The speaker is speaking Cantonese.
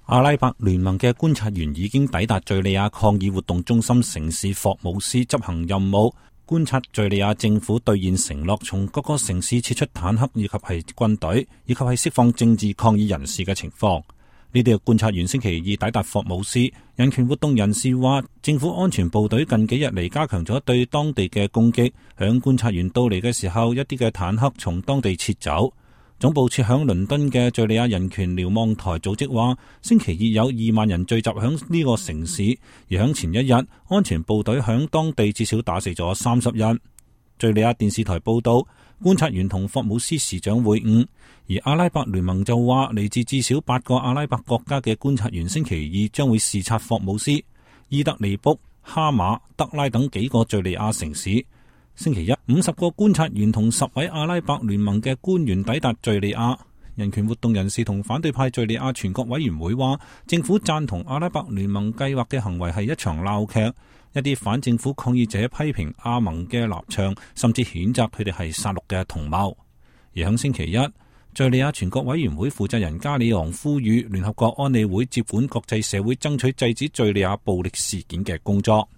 阿拉伯聯盟嘅觀察員已經抵達敘利亞抗議活動中心城市霍姆斯執行任務，觀察敘利亞政府兌現承諾，從各個城市撤出坦克以及係軍隊，以及係釋放政治抗議人士嘅情況。呢啲嘅觀察員星期二抵達霍姆斯，人權活動人士話，政府安全部隊近幾日嚟加強咗對當地嘅攻擊，響觀察員到嚟嘅時候，一啲嘅坦克從當地撤走。總部設響倫敦嘅敘利亞人權瞭望台組織話，星期二有2萬人聚集響呢個城市，而響前一日，安全部隊響當地至少打死咗30人。敘利亞電視台報道，觀察員同霍姆斯市長會晤，而阿拉伯聯盟就話，嚟自至少8個阿拉伯國家嘅觀察員星期二將會視察霍姆斯、伊德利卜、哈馬、德拉等幾個敘利亞城市。星期一，50個觀察員同10位阿拉伯聯盟嘅官員抵達敘利亞。人權活動人士同反對派敘利亞全國委員會話，政府贊同阿拉伯聯盟計劃嘅行為係一場鬧劇。一啲反政府抗議者批評阿盟嘅立場，甚至譴責佢哋係殺戮嘅同謀。而喺星期一，敘利亞全國委員會負責人加里昂呼籲聯合國安理會接管國際社會爭取制止敘利亞暴力事件嘅工作。